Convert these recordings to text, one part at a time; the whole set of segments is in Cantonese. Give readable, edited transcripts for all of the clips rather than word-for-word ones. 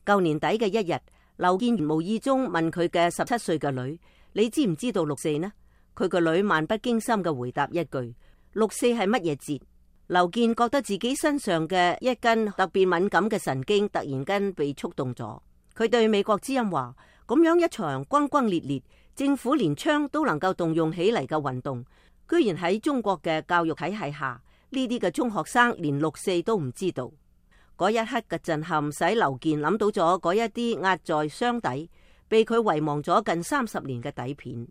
舊年底嘅一日，劉健無意中問佢嘅17歲嘅女：你知唔知道六四呢？佢個女漫不經心嘅回答一句：六四係乜嘢節？劉健覺得自己身上嘅一根特別敏感嘅神經突然間被觸動咗。佢對美國之音話：咁樣一場轟轟烈烈，政府連槍都能夠動用起嚟嘅運動，居然喺中國嘅教育體系下，呢啲嘅中學生連六四都唔知道。嗰一刻嘅震撼使劉健諗到咗嗰一啲壓在箱底，被佢遺忘咗近30年嘅底片。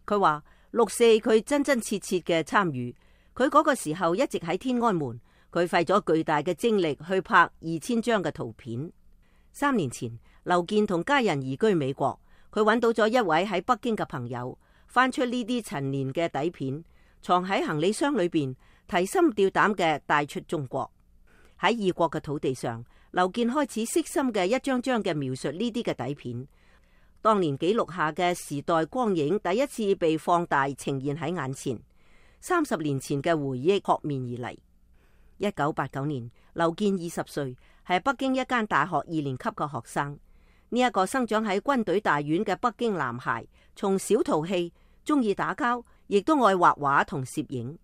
佢話六四佢真真切切嘅參與，佢嗰個時候一直喺天安門，佢費咗巨大嘅精力去拍2000張嘅圖片。3年前，劉健同家人移居美國，佢揾到咗一位喺北京嘅朋友，翻出呢啲陳年嘅底片，藏喺行李箱裏邊，提心吊膽嘅帶出中國。喺異國嘅土地上，劉健開始悉心嘅一張張嘅描述呢啲嘅底片。當年記錄下嘅時代光影第一次被放大呈現喺眼前，30年前嘅回憶撲面而嚟。1989年，劉健20歲，係北京一間大學2年級嘅學生。呢一個生長喺軍隊大院嘅北京男孩，從小淘氣，中意打交，亦都愛畫畫同攝影。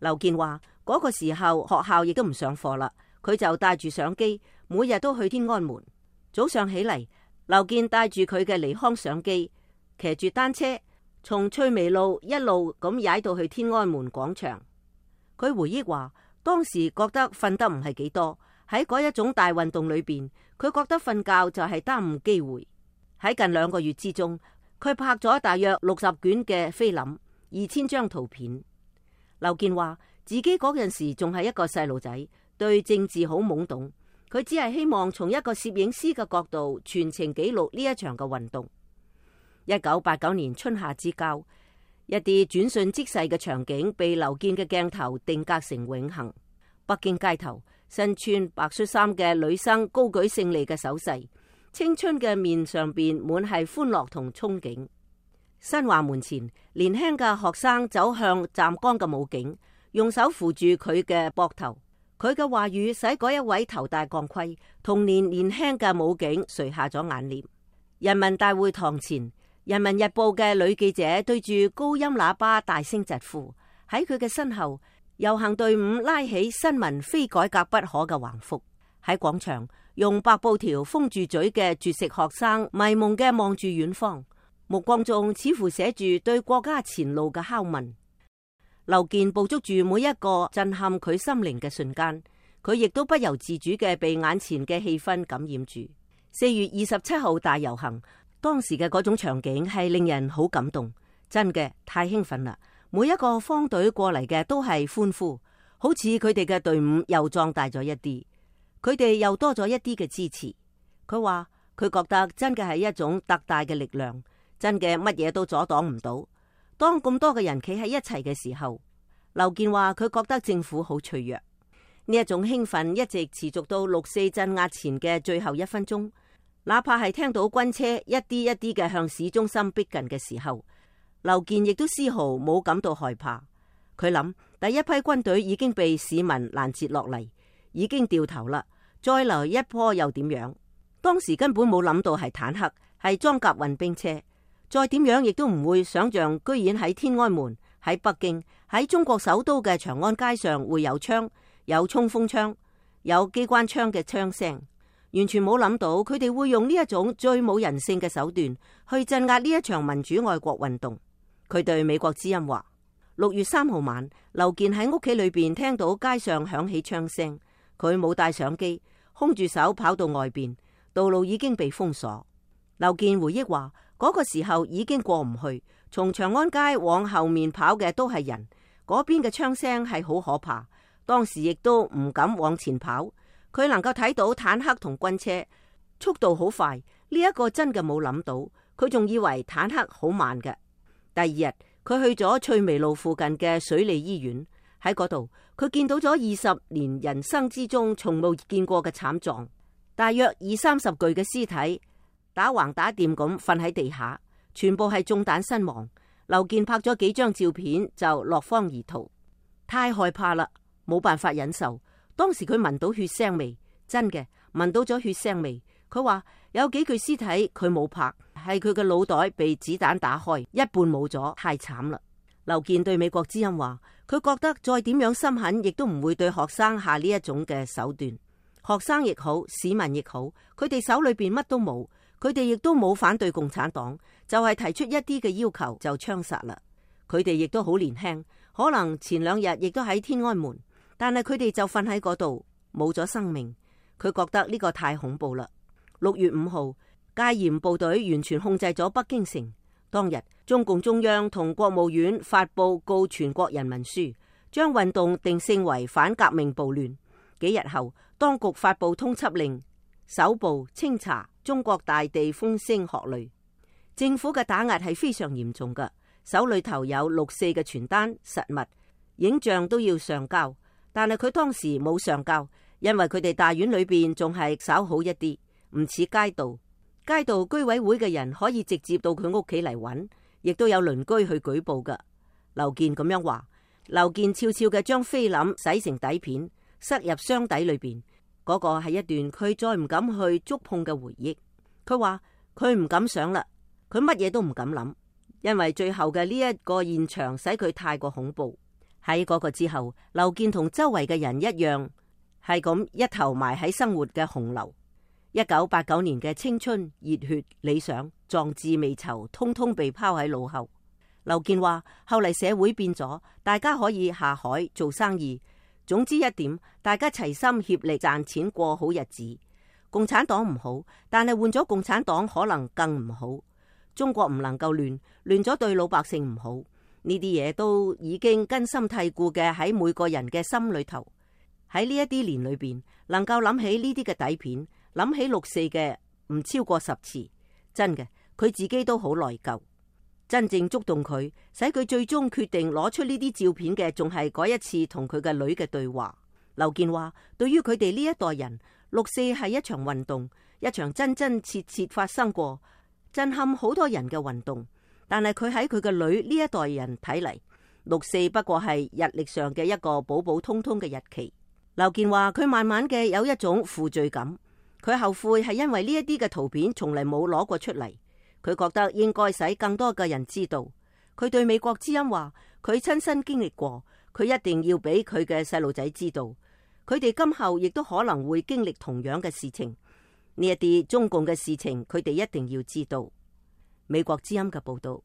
劉健話嗰個時候學校亦都唔上課啦，佢就帶住相機，每日都去天安門。早上起嚟，劉健帶住佢嘅尼康相機，騎住單車，從翠微路一路咁踩到去天安門廣場。佢回憶話，當時覺得瞓得唔係幾多，喺嗰一種大運動裏邊，佢覺得瞓覺就係耽誤機會。喺近2個月之中，佢拍咗大約60卷嘅菲林，2000張圖片。劉健話自己嗰陣時仲係一個細路仔，對政治好懵懂，佢只係希望從一個攝影師嘅角度全程記錄呢一場嘅運動。1989年春夏之交，一啲轉瞬即逝嘅場景被劉健嘅鏡頭定格成永恆。北京街頭，身穿白恤衫嘅女生高舉勝利嘅手勢，青春嘅面上邊滿係歡樂同憧憬。新華門前，年輕嘅學生走向站崗嘅武警，用手扶住佢嘅膊頭。佢嘅話語使嗰一位頭戴鋼盔、童年年輕嘅武警垂下咗眼簾。人民大會堂前，人民日報嘅女記者對住高音喇叭大聲疾呼。喺佢嘅身後，遊行隊伍拉起新聞非改革不可嘅橫幅。喺廣場，用白布條封住嘴嘅絕食學生迷蒙嘅望住遠方，目光中似乎寫住對國家前路嘅拷問。劉健捕捉住每一個震撼佢心靈嘅瞬間，佢亦都不由自主嘅被眼前嘅氣氛感染住。4月27號大遊行，當時嘅嗰種場景係令人好感動，真嘅太興奮啦！每一個方隊過嚟嘅都係歡呼，好似佢哋嘅隊伍又壯大咗一啲，佢哋又多咗一啲嘅支持。佢話佢覺得真嘅係一種特大嘅力量，真嘅乜嘢都阻擋唔到。當咁多嘅人企喺一齊嘅時候，劉健話佢覺得政府好脆弱。呢一種興奮一直持續到6四鎮壓前嘅最後1分鐘，哪怕係聽到軍車一啲一啲嘅向市中心逼近嘅時候，劉健亦都絲毫冇感到害怕。佢諗第一批軍隊已經被市民攔截落嚟，已經掉頭啦，再嚟一波又點樣？當時根本冇諗到係坦克，係裝甲運兵車。再點樣亦都唔會想象，居然喺天安門、喺北京、喺中國首都嘅長安街上會有槍、有衝鋒槍、有機關槍嘅槍聲，完全冇諗到佢哋會用呢一種最冇人性嘅手段去鎮壓呢一場民主愛國運動。佢對美國之音話：6月3號晚，劉健喺屋企裏邊聽到街上響起槍聲，佢冇帶相機，空住手跑到外邊，道路已經被封鎖。劉健回憶話：嗰個時候已經過唔去，從長安街往後面跑嘅都係人，嗰邊嘅槍聲係好可怕。當時亦都唔敢往前跑，佢能夠睇到坦克同軍車，速度好快。呢一個真嘅冇諗到，佢仲以為坦克好慢嘅。第二日，佢去咗翠微路附近嘅水利醫院，喺嗰度佢見到咗20年人生之中從冇見過嘅慘狀，大約20-30具嘅屍體打橫打掂咁瞓喺地下，全部係中彈身亡。劉健拍咗幾張照片就落荒而逃，太害怕啦，冇辦法忍受。當時佢聞到血腥味，真嘅聞到咗血腥味，佢話有幾具屍體佢冇拍，係佢嘅腦袋被子彈打開，一半冇咗，太慘啦。劉健對美國之音話，佢覺得再點樣心狠，亦都唔會對學生下呢一種嘅手段。學生亦好，市民亦好，佢哋手裏邊乜都冇，佢哋亦都冇反對共產黨，就係提出一啲嘅要求就槍殺啦。佢哋亦都好年輕，可能前2日亦都喺天安門，但係佢哋就瞓喺嗰度，冇咗生命。佢覺得呢個太恐怖啦。6月5號，戒嚴部隊完全控制咗北京城。當日，中共中央同國務院發布告全國人民書，將運動定性為反革命暴亂。幾日後，當局發布通緝令，搜捕清查中國大地風聲鶴類。政府嘅打壓係非常嚴重㗎，手裏頭有6·4嘅傳單實物，影像都要上交，但係佢當時冇上交，因為佢哋大院裏邊仲係稍好一啲，唔似街道。街道居委會嘅人可以直接到佢屋企嚟揾，亦都有鄰居去舉報㗎。劉健咁樣話，劉健悄悄嘅將菲林洗成底片，塞入箱底裏邊。嗰個係一段佢再唔敢去觸碰嘅回憶。佢話佢唔敢想啦，佢乜嘢都唔敢諗，因為最後嘅呢一個現場使佢太過恐怖。喺嗰個之後，劉健同周圍嘅人一樣，係咁一頭埋喺生活嘅洪流。1989年嘅青春、熱血、理想、壯志未酬，通通被拋喺腦後。劉健話，後嚟社會變咗，大家可以下海做生意。總之一點，大家齊心協力賺錢過好日子。共產黨唔好，但係換咗共產黨可能更唔好。中國唔能夠亂，亂咗對老百姓唔好。呢啲嘢都已經根深蒂固嘅喺每個人嘅心裏頭。喺呢一啲年裏邊，能夠諗起呢啲嘅底片，諗起6·4嘅唔超過10次，真嘅，佢自己都好內疚。真正觸動佢，使佢最終決定攞出呢啲照片嘅，仲係嗰一次同佢嘅女嘅對話。劉健話，對於佢哋呢一代人，6·4係一場運動，一場真真切切發生過，震撼好多人嘅運動。但係佢喺佢嘅女呢一代人睇嚟，6·4不過係日曆上嘅一個普普通通嘅日期。劉健話，佢慢慢嘅有一種負罪感，佢後悔係因為呢一啲嘅圖片從嚟冇攞過出嚟。佢覺得應該使更多嘅人知道。佢對美國之音話，佢親身經歷過，佢一定要俾佢嘅細路仔知道，佢哋今後亦都可能會經歷同樣嘅事情。呢一啲中共嘅事情，佢哋一定要知道。美國之音嘅報道。